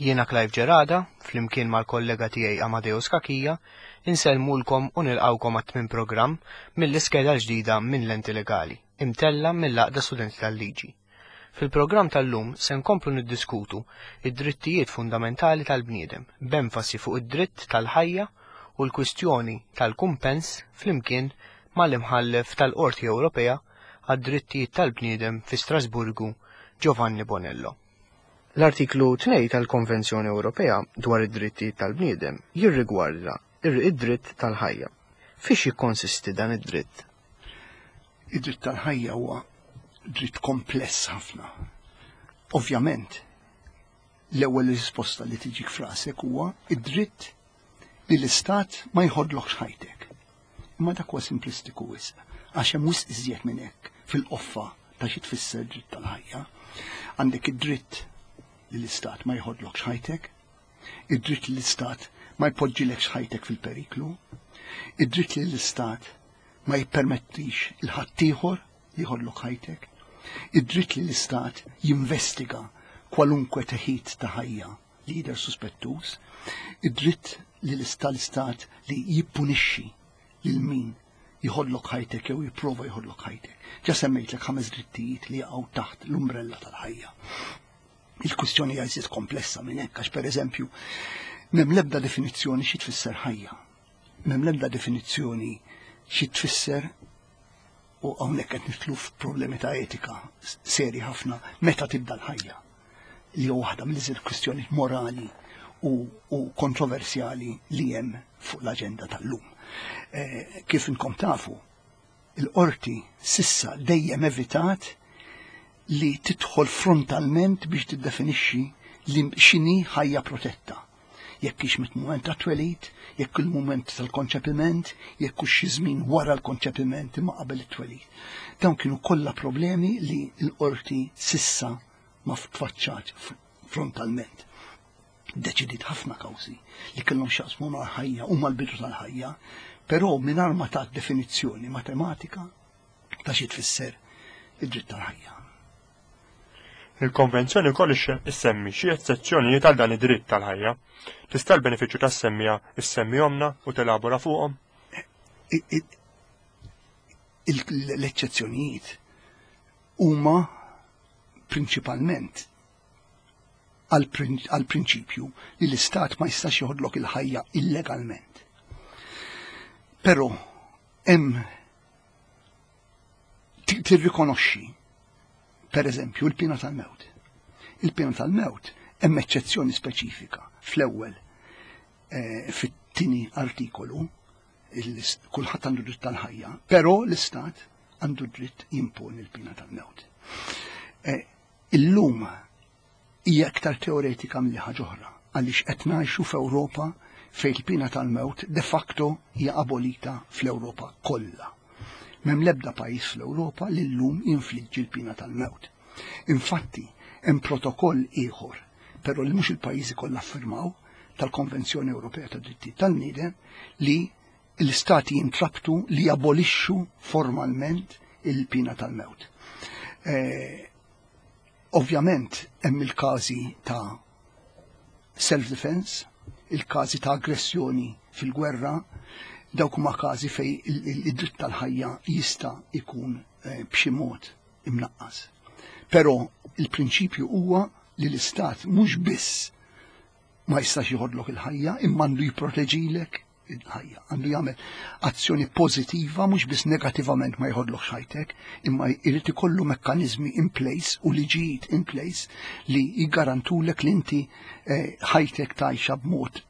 Jiena Clive Gerada, flimkien mal-kollega tiegħi Amadeus Cachia, insellmulkom u nilqgħukom għat-tmien programm mill-iskeda l-ġdida minn Lenti Legali, imtella' mill-Għaqda Studenti tal-Liġi. Fil-programm tal-lum se nkomplu niddiskutu id-drittijiet fundamentali tal-bniedem, b'enfasi fuq id-dritt tal-ħajja u l-kwistjoni tal-kumpens flimkien mal-Imħallef tal-Qorti Ewropea għad-Drittijiet tal-Bniedem fi Strasburgu, Giovanni Bonello. L-Artiklu 2 tal-Konvenzjoni Ewropea dwar id-Drittijiet tal-Bniedem jirrigwarda id-dritt tal-ħajja. Fiex jikkonsisti dan id-dritt? Id-dritt tal-ħajja huwa dritt kompless ħafna. Ovvjament, l-ewwel risposta li tiġik f'rasek huwa id-dritt li l-istat ma jħodlokx ħajtek. Imma dak huwa simplistiku wisq, għax hemm wisq iżjed minn hekk fil-qoffa ta' xi tfisser dritt tal-ħajja. Għandek id-dritt li l-istat ma jħodlokx ħajtek, id-dritt li l-istat ma jpoġġilekx ħajtek fil-periklu, id-dritt li l-istat ma jippermettix il-ħaddieħor li jħodlok ħajtek, id-dritt li l-istat jinvestiga kwalunkwe teħid ta' ħajja li jidher suspettuż, id-dritt li l-istat li jippunixxi lil min jħodlok ħajtek jew jipprova jħodlok ħajtek. Ġa semmejtlek ħames drittijiet li jaqgħu taħt l-umbrella tal-ħajja. Il-kwistjoni hija iżjed komplessa minn hekk għax pereżempju m'hemm l-ebda definizzjoni xi tfisser ħajja. M'hemm l-ebda definizzjoni xi tfisser u hawnhekk qed nidħlu f'problemi ta' etika seri ħafna meta tibda l-ħajja li huwa waħda mill-iżjed kwistjonijiet morali u, u kontroversjali li hemm fuq l-aġenda tal-lum. Eh, kif inkom tafu, il-qorti sissa dejjem evitat li tidħol frontalment biex tiddefinixxi li x'inhi ħajja protetta. Jekk hix mit-mument tat-twelid, jekk il-mument tal-konċepiment, jekk hux xi żmien wara l-konċepiment imma qabel it-twelid. Dawn kienu kollha problemi li l-qorti sissa ma tfaċċat frontalment. Deċidiet ħafna kawżi li kellhom x'jaqsmu mal-ħajja u mal-bidu tal-ħajja, però mingħajr ma tat definizzjoni matematika ta' xi tfisser id-dritt tal-ħajja. Il-Konvenzjoni wkoll issemmi xi eċċezzjonijiet għal dan id-dritt tal-ħajja. Tista' l-benefiċċju tas-semmija issemmihomna u telabora fuqhom? L-eċċezzjonijiet huma prinċipalment għall-prinċipju li l-istat ma jistax joħodlok il-ħajja illegalment. Però hemm tirrikonoxxi per eżempju l-pina tal-mewt. Il-pina tal-mewt hemm eċċezzjoni speċifika fl-ewwel eh, fit-tieni artikolu kulħadd għandu dritt tal-ħajja, però l-istat għandu dritt jimponi l-pina tal-mewt. Eh, illum hija iktar teoretika milli ħaġa oħra għaliex qed ngħixu f'Ewropa fejn il-pina tal-mewt de facto hija abolita fl-Ewropa kollha. M'hemm l-ebda pajjiż fl-Ewropa li llum jinfliġġi l-pina tal-mewt. Infatti, hemm protokoll ieħor, però li mhux il-pajjiżi kollha ffirmaw, tal-Konvenzjoni Ewropea tad-Drittijiet tal-Bniedem li l-istati jintrabtu li jabolixxu formalment il-pina tal-mewt. Eh, Ovvjament hemm il-każi ta' self-defense, il-każi ta' aggressjoni fil-gwerra, dawk huma każi fej id-dritt tal-ħajja jista' jkun eh, b'xi mod imnaqqas. Però il-prinċipju huwa li l-istat mhux biss ma jistax jħodlok il-ħajja imma għandu jipproteġilek il-ħajja. Għandu jagħmel azzjoni pożittiva mhux biss negattivament ma jħodlokx ħajtek, imma jrid ikollu mekkaniżmi in place u liġijiet in place li jiggarantulek li inti eh, ħajtek tgħixha b'mod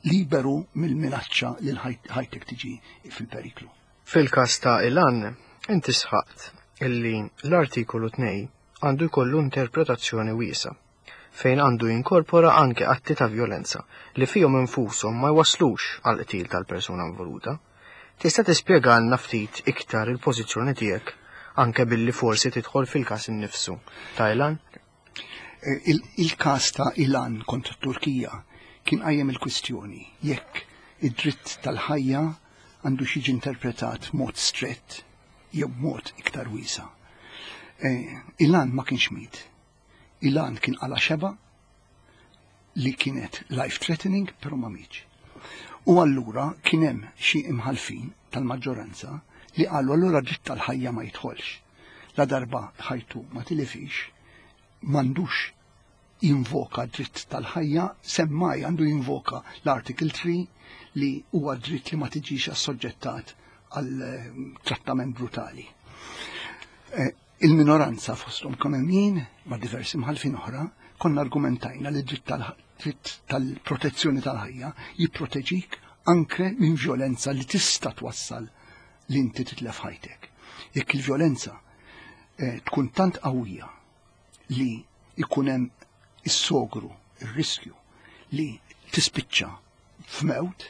liberu mill-minaċċa li ħajtek tiġi fil-periklu. Fil-każ ta' Ilan, inti sħaqt illi l-artikolu 2 għandu jkollu interpretazzjoni wiesa' fejn għandu jinkorpora anke atti ta' vjolenza li fihom infushom ma jwasslux għall-qtil tal-persuna involuta. Tista' tispjegalna ftit iktar il-pożizzjoni tiegħek anke billi forsi tidħol fil-każ innifsu ta' Ilan? Eh, il-każ ta' Ilan kontra t-Turkija kien qajjem il-kwistjoni jekk id-dritt tal-ħajja għandu jiġi interpretat mod strett jew mod iktar wiesa. Eh, Ilan ma kienx mit, Ilan kien qala xeba. li kienet life threatening però ma mietx. U allura kien hemm xi imħalfin tal-maġġoranza li qalu allura dritt tal-ħajja ma jidħolx. La darba ħajtu ma tilifix, m'għandux jinvoka dritt tal-ħajja, semmai għandu jinvoka l-Article 3 li huwa dritt li ma tiġix assoġġettat għal eh, trattament brutali. Eh, il-minoranza fosthom kemm hemm jien ma' diversi mħalfin oħra konna argumentajna li dritt tal-dritt tal-protezzjoni tal-ħajja jipproteġik anke minn vjolenza li tista' twassal li inti titlef ħajtek. Jekk il-vjolenza eh, tkun tant qawwija li jkun hemm is-sogru, ir-riskju li tispiċċa f'mewt,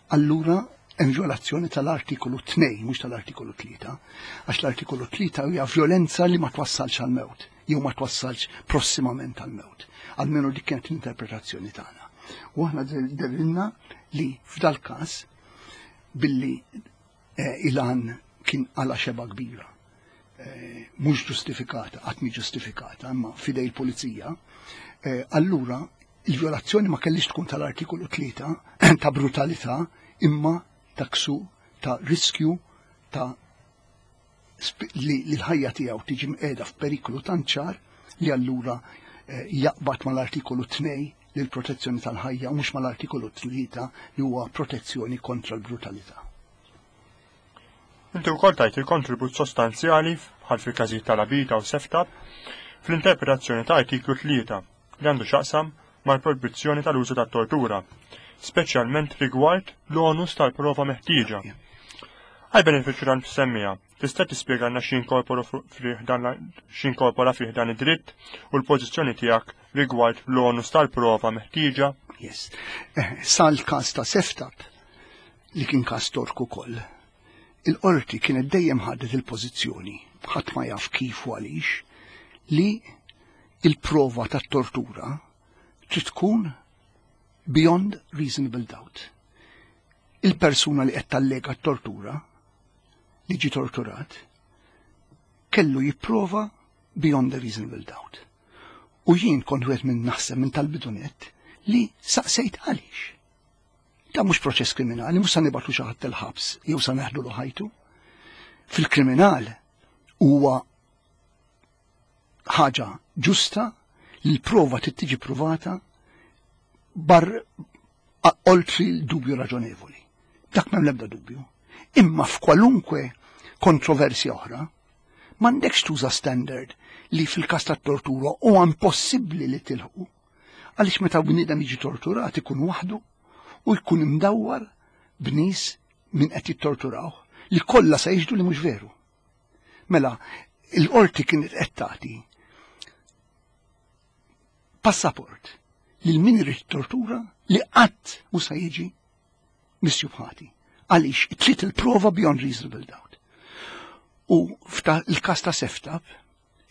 allura hemm violazzjoni tal-artikolu 2, mhux tal-artikolu 3, għax l-artikolu 3 hija violenza li ma twassalx għal mewt, jew ma twassalx prossimament għal mewt. Almenu dik kienet l-interpretazzjoni tagħna. U aħna derilna li f'dal każ billi eh, Ilan kien għala xeba kbira. Eh, mhux ġustifikata, qatt mhi ġustifikata, imma fidej il-pulizija, eh, allura il-violazzjoni ma kellix tkun tal-artikolu 3 ta' brutalità imma ta' ksu ta' riskju ta' li l-ħajja tiegħu tiġi mqiegħda f'periklu tant ċar li allura eh, jaqbad mal-artikolu 2 li l-protezzjoni tal-ħajja u mhux mal-artikolu 3 li huwa protezzjoni kontra l-brutalità. Inti wkoll tajt il-kontribut sostanzjali bħal fil-każijiet tal-Abita u Seftab fl-interpretazzjoni ta' artiklu 3 li għandu x'jaqsam mal-projbizzjoni tal-użu tat-tortura, speċjalment rigward l-onus tal-prova meħtieġa. Għal benefiċċju tal-msemmija, tista' tispjegalna x'inkorpora x'inkorpora fih dan id-dritt u l-pożizzjoni tiegħek rigward l-onus tal-prova meħtieġa? Yes. Eh, sal-każ ta' Seftab li kien każ Tork ukoll. Il-qorti kienet dejjem ħadet il-pożizzjoni, ħadd ma jaf kif u għaliex, li il-prova tat-tortura trid tkun beyond reasonable doubt. Il-persuna li qed tallega t-tortura li ġi torturat kellu jipprova beyond a reasonable doubt. U jien kont wieħed minn naħseb minn tal-bidunet li saqsejt għaliex. Da mhux proċess kriminali, mhux sa nibgħatu xi ħadd il-ħabs jew sa neħdulu ħajtu. Fil-kriminal huwa ħaġa ġusta li l-prova trid tiġi pruvata bar oltri l-dubju raġonevoli. Dak m'hemm l-ebda dubju. Imma f'kwalunkwe kontroversja oħra, m'għandekx tuża standard li fil-każ tat-tortura huwa impossibbli li tilħu. Għaliex meta bniedem jiġi torturat ikun waħdu u jkun imdawwar b'nies min qed jittorturaw li kollha se jixhdu li mhux veru. Mela, il-qorti kienet qed tagħti passaport lil min irid tortura li qatt mhu se jiġi misjub ħati. Għaliex trid il-prova beyond reasonable doubt. U f'il-każ ta' Seftab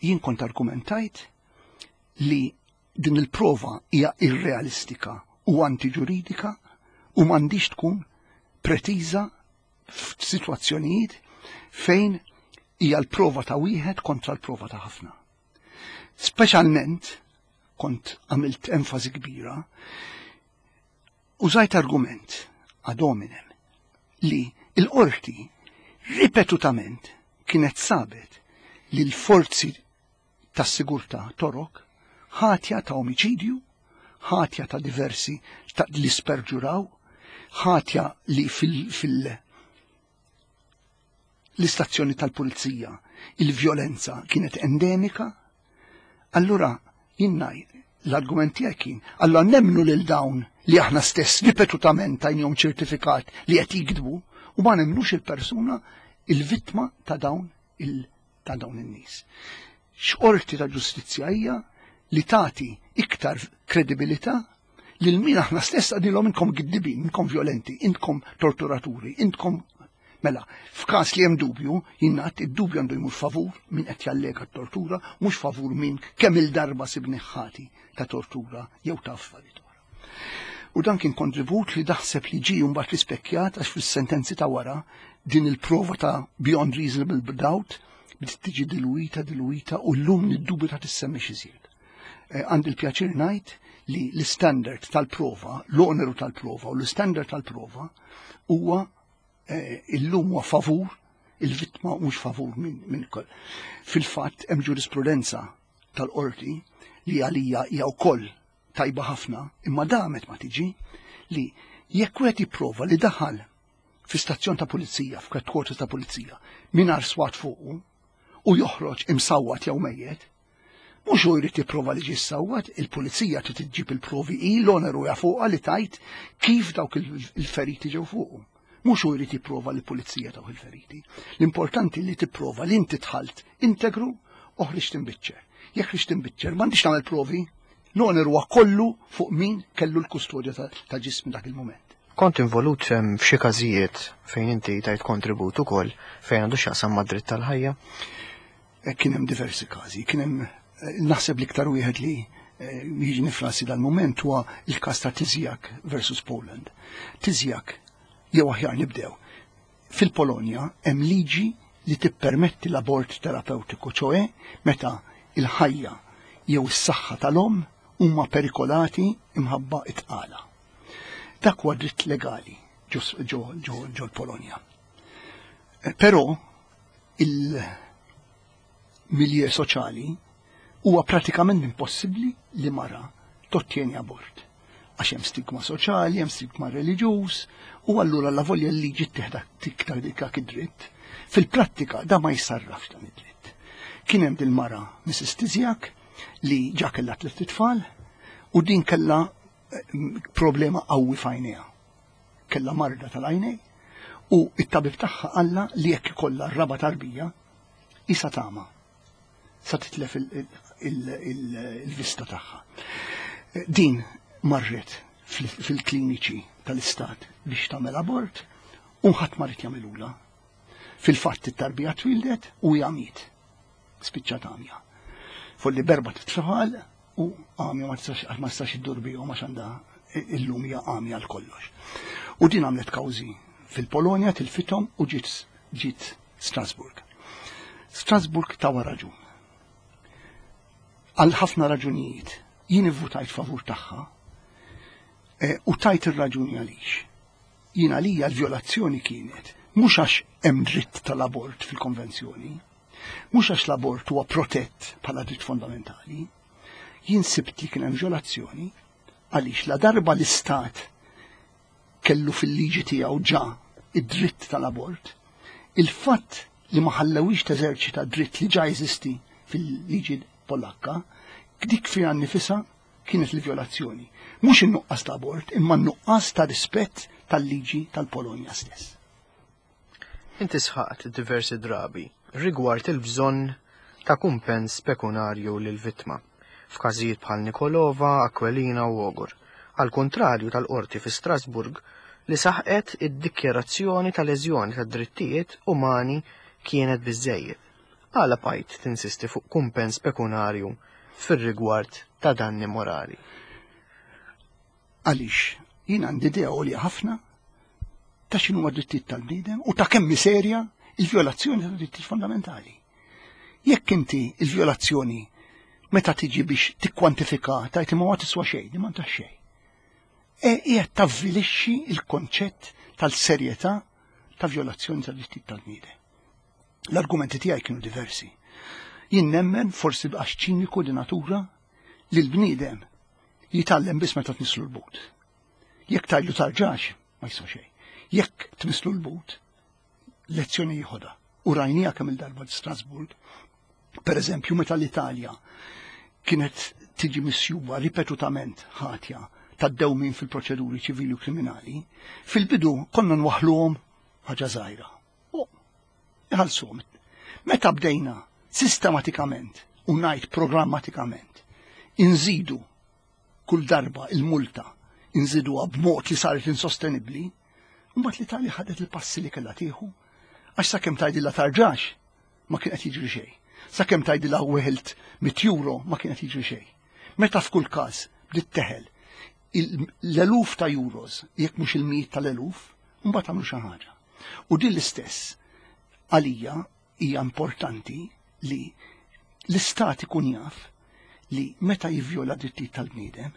jien kont argumentajt li din il-prova hija irrealistika u antiġuridika u m'għandix tkun pretiża f'sitwazzjonijiet fejn hija l-prova ta' wieħed kontra l-prova ta' ħafna. Speċjalment kont għamilt enfasi kbira użajt argument ad hominem li l-qorti ripetutament kienet sabet li l-forzi tas-sigurtà Torok ħatja ta' omiċidju, ħatja ta' diversi ta' li sperġuraw, ħatja li fil, fil l-istazzjoni tal-pulizija il-vjolenza kienet endemika, allura jinnaj l-argument tiegħi kien, allura nemmnu lil dawn li aħna stess ripetutament tajnihom ċertifikat li qed jikdbu u ma nemmnux il-persuna il-vittma ta' dawn il- ta' dawn in-nies. X'qorti ta' ġustizzja hija li tagħti iktar kredibilità lil min aħna stess għadilhom inkom giddibin, inkom violenti, intkom torturaturi, intkom Mela, f'każ li hemm dubju, jinnat id-dubju għandu jmur favur min qed jallega t-tortura, mhux favur min kemm il-darba sibni ħati ta' tortura jew ta' affarijiet oħra. U dan kien kontribut li daħseb li ġie mbagħad rispekkjat għax fis-sentenzi ta' wara din il-prova ta' beyond reasonable doubt bdiet tiġi diluwita, diluwita u llum niddubita tissemmix iżjed. Eh, għandi l-pjaċir ngħid li l-istandard tal-prova, l-oneru tal-prova u l-istandard tal-prova huwa eh, illum huwa favur il-vittma mhux favur minn min koll. Fil-fatt hemm ġurisprudenza tal-qorti li għalija hija wkoll tajba ħafna, imma damet ma tiġi li jekk wieħed jipprova li daħal fi stazzjon ta' pulizija, f'headquarters ta' pulizija, mingħajr swat fuqu u joħroġ imsawwat jew mejjet, mhux hu jrid jipprova li ġie sawwat, il-pulizija trid iġġib il-provi hi l-oneru ja fuqha li tajt kif dawk il-feriti ġew fuqu. Mhux hu jrid jipprova li pulizija dawk il-feriti. L-importanti li tipprova li inti dħalt integru u ħriġt imbiċċer. Jekk ħriġt imbiċċer, m'għandix nagħmel provi, l-oneru huwa kollu fuq min kellu l-kustodja ta' ġismi dak il-mument. Kont involut f'xi każijiet fejn inti tajt kontribut ukoll fejn għandu x'jaqsam mad-dritt tal-ħajja? Eh, kien hemm diversi każi, kien hemm eh, naħseb l-iktar wieħed li eh, jiġi nifrasi dal-mument huwa il-każ ta' Tizjak versus Poland. Tizjak jew aħjar nibdew. Fil-Polonja hemm liġi li tippermetti l-abort terapeutiku, ċoe meta il-ħajja jew is-saħħa tal-omm huma perikolati imħabba it-tqala. Dak huwa dritt legali ġo l-Polonja. Eh, però il-milje soċjali huwa pratikament impossibbli li mara tottieni abort. Għax hemm stigma soċjali, hemm stigma reliġjuż, u allura la volja l-liġi tieħda tiktar dik id-dritt. Fil-prattika da ma jisarrafx dan id-dritt. Kien hemm dil-mara Mrs. Tizjak li ġa kellha tliet itfal u din kellha eh, problema qawwi f'għajnejha. Kellha marda tal-għajnej u it-tabib tagħha qalla li jekk ikollha r-raba tarbija isa tama sa titlef il-vista tagħha. Din marret fil-kliniċi tal-istat biex tagħmel abort u ħadd ma rid jagħmilula. Fil-fatt it-tarbija twildet u hija miet. Spiċċat għamja. Folli berba titfal u għamja ma tistax ma tistax iddur bihom għax għandha illum hija għamja għal kollox. U din għamlet kawżi fil-Polonja tilfithom u ġiet ġiet Strasburg. Strasburg tawa raġun. Għal ħafna raġunijiet jien ivvutajt favur tagħha eh, u tajt ir-raġuni għaliex. Jien għalija l-vjolazzjoni kienet mhux għax hemm dritt tal-abort fil-konvenzjoni, mhux għax l-abort huwa protett bħala dritt fondamentali, jien sibt li kien hemm vjolazzjoni għaliex la darba l-istat kellu fil-liġi tiegħu ġa id-dritt tal-abort, il-fatt li ma ħallewix teżerċita dritt li ġa jeżisti fil-liġi Polakka, dik fiha nnifisha kienet il-vjolazzjoni. Mhux in-nuqqas ta' abort, imma n-nuqqas ta' rispett tal-liġi tal-Polonja stess. Inti sħaqt diversi drabi rigward il-bżonn ta' kumpens pekunarju lill-vittma f'każijiet bħal Nikolova, Aquilina u Ogur, għall-kuntrarju tal-Qorti fi Strasbourg li saħqet id-dikjarazzjoni ta' leżjoni tad-drittijiet umani kienet biżżejjed. Għala bqajt tinsisti fuq kumpens pekunarju fir-rigward ta' danni morali? Għaliex jien għandi idea għolja ħafna ta' x'inhuma drittijiet tal-bniedem u ta' kemm serja il-vjolazzjoni ta' drittijiet fondamentali. Jekk inti il-vjolazzjoni meta tiġi biex tikkwantifika tajt imma ma tiswa xejn, ma ta' xejn. E qiegħed tavvilixxi il-konċett tal-serjetà ta' vjolazzjoni ta' drittijiet tal-bniedem. L-argumenti tiegħi kienu diversi. Jien nemmen forsi għax ċiniku di natura li l-bniedem jitgħallem biss meta tnislu l-but. Jekk tgħidlu tarġax, ma jiswa xejn. Jekk tmislu l-but, lezzjoni jieħodha. U rajnija kemm il-darba Strasburg, per eżempju, meta l-Italja kienet tiġi misjuba ripetutament ħatja ta' dewmin fil-proċeduri ċivili u kriminali, fil-bidu konna nwaħluhom ħaġa żgħira. U iħallsuhom. Meta bdejna sistematikament u ngħid programmatikament inżidu kull darba il-multa inżiduha b'mod li saret insostenibbli, mbagħad l-Italja ħadet il-passi li kellha tieħu għax sakemm tgħidilha tarġax ma kien qed jiġri xejn. Sakemm tgħidilha weħilt mit euro ma kien qed jiġri xejn. Meta f'kull każ bdiet teħel l-eluf ta' euros, jekk mhux il-mijiet tal-eluf, mbagħad għamlu xi ħaġa. U din l-istess għalija hija importanti li l-istat ikun jaf li meta jivvjola drittijiet tal-bniedem,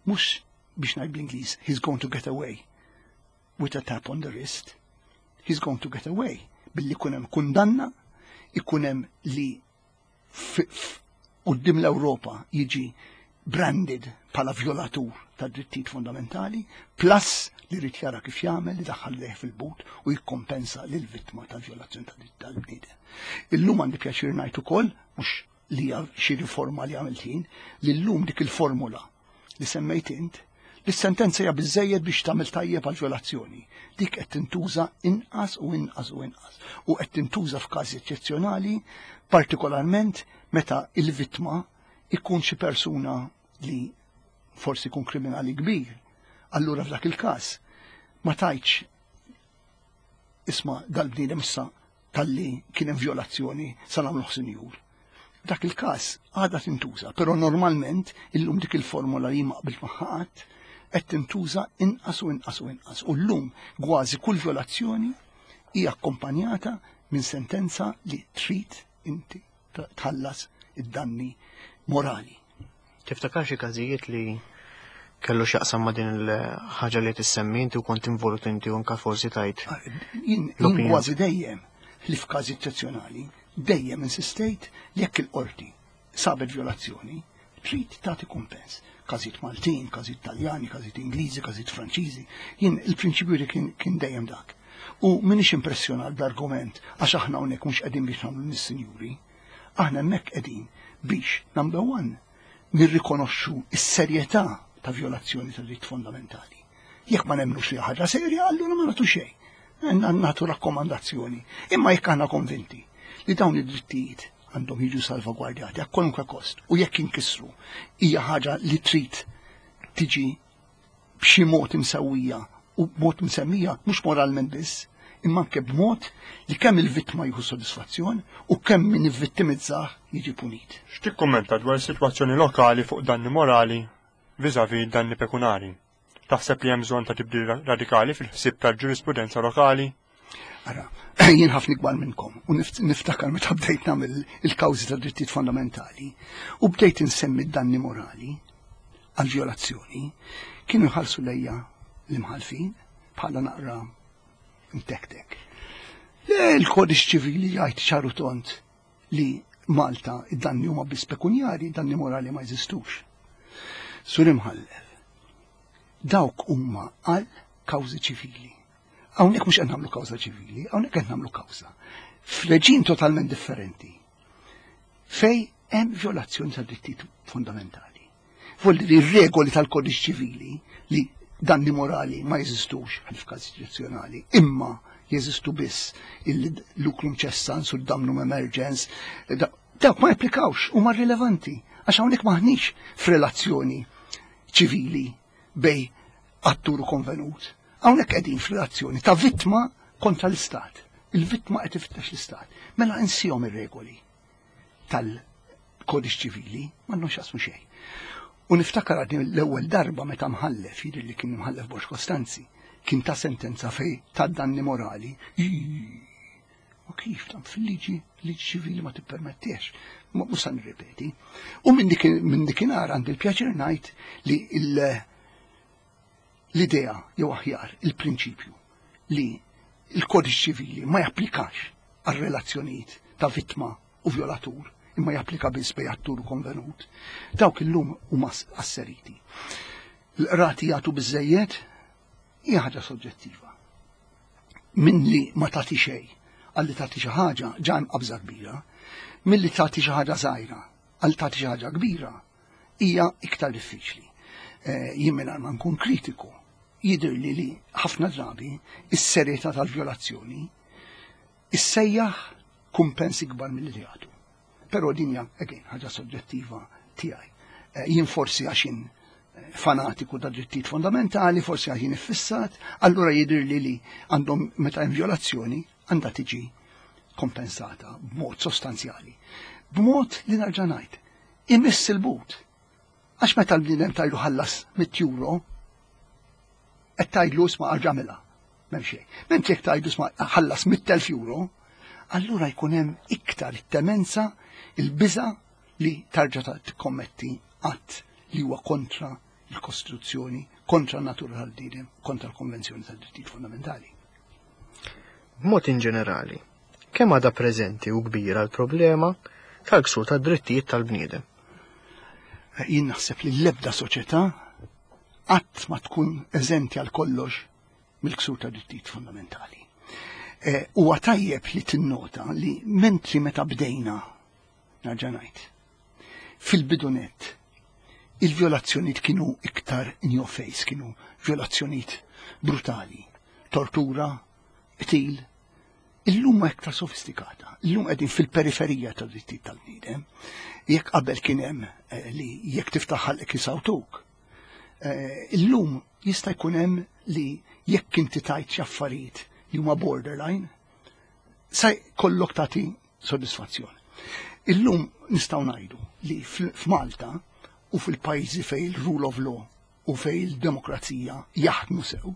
Mhux biex ngħid bl-Ingliż, he's going to get away with a tap on the wrist. He's going to get away billi jkun hemm kundanna, ikun hemm li quddiem l-Ewropa jiġi branded bħala violatur ta' drittijiet fundamentali, plus li rrid jara kif jagħmel li daħħal leħ fil-but u jikkompensa lil vittma tal-violazzjoni ta' dritt tal-bniedem. Illum għandi pjaċir ngħid ukoll, mhux li hija xi riforma li għamilt jien, li llum dik il-formula li semmejt int, li s-sentenza hija biżejjed biex tagħmel tajjeb għal violazzjoni. Dik qed tintuża inqas u inqas u inqas u qed tintuża f'każi eċċezzjonali, partikolarment meta il-vittma ikun xi persuna li forsi jkun kriminali kbir. Allura f'dak il-każ ma tajtx isma' dal-bniedem issa talli kien hemm violazzjoni sa nagħmluh sinjur. Dak il-każ għadha tintuża, però normalment illum dik il-formula li ma qbilt magħha qatt qed tintuża inqas u inqas u inqas. U llum kważi kull violazzjoni hija akkompanjata minn sentenza li trid inti tħallas id-danni morali. Tiftakar xi każijiet li kellu x'jaqsam ma' din il-ħaġa li tissemmi inti u kont involut inti u anka forsi tajt. Ah, jien kważi dejjem li f'każi eċċezzjonali dejjem insistejt li jekk il-qorti sabet violazzjoni, trid tagħti kumpens. Każijiet Maltin, każijiet Taljani, każijiet Ingliżi, każijiet Franċiżi. Jien il-prinċipju li kien dejjem dak. U minix impressjonat bl-argument għax aħna hawnhekk mhux qegħdin biex nagħmlu nis-sinjuri. Aħna hemmhekk qegħdin biex, number one, nirrikonoxxu s-serjetà ta' violazzjoni ta' dritt fondamentali. Jekk ma nemmnux li ħaġa serja, allura ma nagħtu xejn. Nagħtu rakkomandazzjoni. Imma jekk aħna konvinti li dawn id-drittijiet għandhom jiġu salvagwardjati għal kwalunkwe kost u jekk inkisru hija ħaġa li trid tiġi b'xi mod imsewwija u b'mod msemmija mhux moralment biss, imma anke b'mod li kemm il-vittma jieħu sodisfazzjon u kemm min ivvittimizzah jiġi punit. X'tikkummenta dwar is-sitwazzjoni lokali fuq danni morali vis-à-vis danni pekunari? Taħseb li hemm bżonn ta' tibdil radikali fil-ħsieb tal-ġurisprudenza lokali? Ara, jien ħafna ikbar minnkom u niftakar meta bdejt nagħmel il-kawżi ta' drittijiet fondamentali u bdejt insemmi d-danni morali għal violazzjoni, kienu jħallsu lejja l-imħalfin bħala naqra mtektek. Il-kodiċ ċivili jgħid ċaru tont li Malta id-danni huma biss pekunjari, danni morali ma jeżistux. Sur imħallef, dawk huma għal kawżi ċivili. Hawnhekk mhux qed nagħmlu kawża ċivili, hawnhekk qed nagħmlu kawża f'reġim totalment differenti. Fej hemm violazzjoni ta' drittijiet fundamentali. Vuol dire regoli tal-kodiċ ċivili li danni morali ma jeżistux għal f'każ eċċezzjonali, imma jeżistu biss il-lucrum cessans u d-damnum emergens, dawk ma japplikawx huma rilevanti għax hawnhekk maħniex f'relazzjoni ċivili bej attur u konvenut. Hawnhekk qegħdin f'relazzjoni ta' vittma kontra l-istat. Il-vittma qed ifittex l-istat. Mela insihom ir-regoli tal-kodiċ ċivili, m'għandhom x'jaqsmu xejn. U niftakar għadni l-ewwel darba meta mħallef, jidher li kien mħallef Borg Costanzi, kien ta' sentenza fej ta' danni morali. U kif tam fil-liġi, liġi ċivili ma tippermettiex. Mhux sa nirripeti. U minn dikinhar għandi l-pjaċir ngħid li l-idea jew aħjar il-prinċipju li l-kodiċ ċivili ma japplikax għal relazzjonijiet ta' vittma u violatur imma japplika biss bej attur u konvenut, dawk illum huma asseriti. L-qrati jagħtu biżejjed hija ħaġa soġġettiva. Min li ma tagħti xejn għalli tagħti xi ħaġa ġa hemm qabża kbira, milli tagħti xi ħaġa żgħira għal tagħti xi ħaġa kbira hija iktar diffiċli. Eh, jien mingħajr ma nkun kritiku, jidhirli li ħafna drabi is-serjetà tal-vjolazzjoni issejjaħ kumpens ikbar milli li jagħtu. Però din hija again ħaġa soġġettiva tiegħi. Eh, jien forsi għax jien eh, fanatiku ta' drittijiet fondamentali, forsi għax jien iffissat, allura jidhirli li għandhom meta hemm vjolazzjoni għandha tiġi kompensata b'mod sostanzjali. B'mod li narġa' ngħid, imiss il-but. Għax meta l-bniedem tajlu ħallas 100 euro, qed tgħidlu isma' arġa' M'hemm xejn. Mentri jekk tgħidlu isma' ħallas 100,000 euro, allura jkun hemm iktar it-temenza, il-biża' li tarġa' tikkommetti att li huwa kontra il-Kostituzzjoni, kontra n-natura tal-bniedem, kontra l-Konvenzjoni tad-Drittijiet Fundamentali. B'mod inġenerali, kemm għadha preżenti u kbira l-problema tal-ksur tad-drittijiet tal-bniedem? Jien naħseb li l-ebda soċjetà qatt ma tkun eżenti għal kollox mill-ksur ta' drittijiet fundamentali. Eh, huwa tajjeb li tinnota li mentri meta bdejna nerġa' ngħid, fil-bidunet il-violazzjonijiet kienu iktar in your face, kienu violazzjonijiet brutali, tortura, qtil. Illum ma iktar sofistikata. Illum qegħdin fil-periferija ta' drittijiet tal-bniedem. Jekk qabel kien hemm eh, li jekk tiftaħ ħalqek isawtuk. Eh, illum jista' jkun hemm li jekk inti tajt xi affarijiet li huma borderline, sa jkollok tagħti sodisfazzjon. Illum nistgħu ngħidu li f'Malta u fil-pajjiżi fejn il-rule of law u fejn il-demokrazija jaħdmu sew,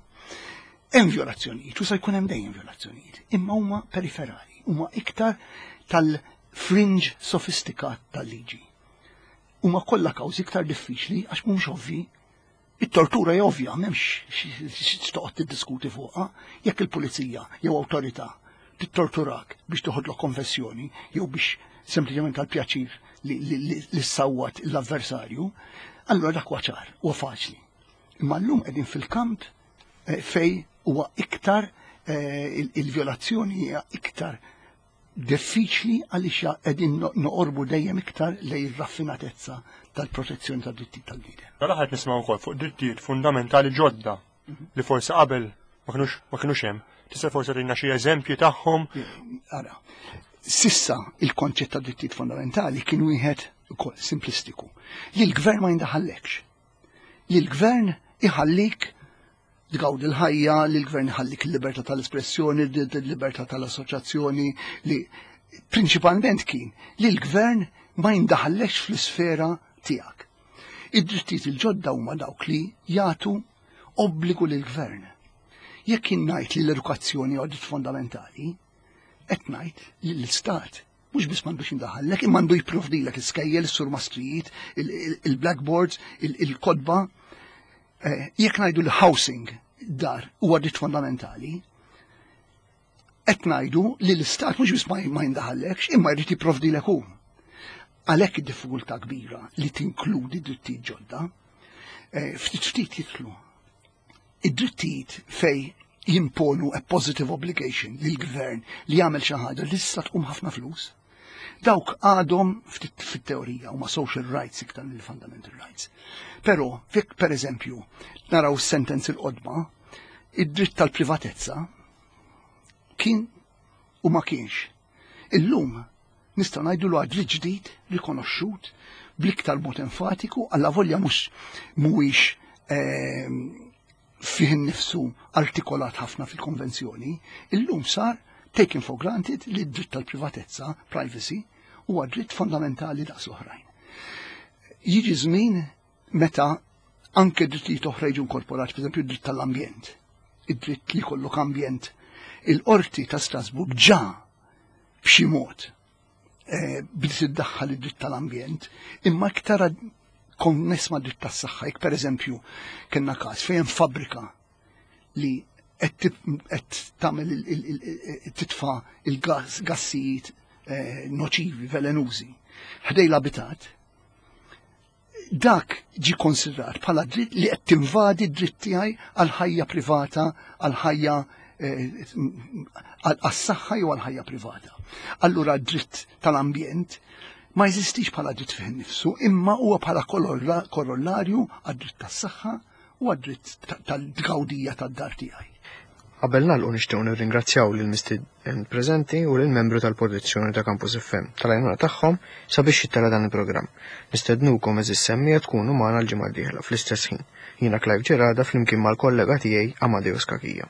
hemm violazzjonijiet u se jkun hemm dejjem violazzjonijiet, imma huma periferali, huma iktar tal-fringe sofistikat tal-liġi. Huma kollha kawżi iktar diffiċli għax mhumiex ovvi. It-tortura hija ovvja, m'hemmx x'toqgħod tiddiskuti fuqha, jekk il-pulizija jew awtorità tittorturak biex toħodlok konfessjoni jew biex sempliċement għal pjaċir li ssawwat l-avversarju, allura dak huwa ċar, huwa faċli. Imma llum qegħdin fil-kamp eh, fej huwa iktar eh, il-violazzjoni hija iktar diffiċli għaliex qegħdin noqorbu dejjem iktar lejn ir-raffinatezza tal-protezzjoni tad-drittijiet tal-bniedem. Mela ħadd nisimgħu wkoll fuq drittijiet fundamentali ġodda li forsi qabel ma kinux hemm. Tista' forsi tagħtina xi eżempji tagħhom? Ara, sissa il-konċett ta' drittijiet fundamentali kien wieħed ukoll simplistiku. Li l-gvern ma jindaħallekx. Li l-gvern iħallik tgawdi l-ħajja, li l-gvern iħallik il-libertà tal-espressjoni, il-libertà tal-assoċjazzjoni, li prinċipalment kien li l-gvern ma jindaħallekx fl-isfera tiegħek. Id-drittijiet il-ġodda huma dawk li jagħtu obbligu lill-gvern. Jekk jien ngħid li l-edukazzjoni huwa dritt fondamentali, qed ngħid li l-istat mhux biss m'għandux jindaħallek, imma għandu jipprovdilek l-iskejjel, is-surmastrijiet, il-blackboards, il-kotba. Eh, jekk ngħidu l-housing dar huwa dritt fondamentali, qed ngħidu li l-istat mhux biss ma jindaħallekx, imma jrid jipprovdilek hu. Għalhekk id-diffikultà kbira li tinkludi drittijiet ġodda, eh, ftit ftit jitlu id-drittijiet fej jimponu a positive obligation lill-gvern li jagħmel xi ħaġa li tista' tqum ħafna flus. Dawk għadhom fit-teorija huma social rights iktar mill fundamental rights. Però fik per eżempju naraw sentenzi l-qodma, id-dritt tal-privatezza kien u ma kienx. Illum nistgħu ngħidu l dritt ġdid rikonoxxut bl-iktar mod enfatiku alla volja mhux mhuwiex ehm, fih innifsu artikolat ħafna fil-konvenzjoni, illum sar taken for granted li d-dritt tal-privatezza, privacy, huwa dritt fondamentali daqs l-oħrajn. Jiġi żmien meta anke drittijiet oħra jiġu inkorporati, pereżempju d-dritt tal-ambjent, id-dritt li jkollok ambjent. Il-qorti ta' Strasburg ġa b'xi mod eh, bdiet iddaħħal id-dritt tal-ambjent, imma iktar konness ma' dritt tas-saħħa, jekk pereżempju kellna każ fejn fabbrika li qed tagħmel titfa' il-gassijiet eh, noċivi, velenużi, ħdej l-abitat, dak ġi konsidrat bħala dritt li qed tinvadi d-dritt tiegħi għal ħajja privata, għal ħajja eh, għas-saħħa jew għal ħajja privata. Allura d-dritt tal-ambjent ma jeżistix bħala dritt fih innifsu, imma huwa bħala korollarju għad-dritt tas-saħħa u għad-dritt tal-tgawdija tad-dar tiegħi. Qabel nagħlqu nixtiequ nirringrazzjaw lil mistieden preżenti u lil membru tal-produzzjoni ta' Campus FM tal-għajnuna tagħhom sabiex jittella' dan il-programm. Nistednukom għeżież semmiegħa tkunu magħna l-ġimgħa d-dieħla fl-istess ħin. Jiena Clive Gerada flimkien mal-kollega tiegħi Amadeus Cachia.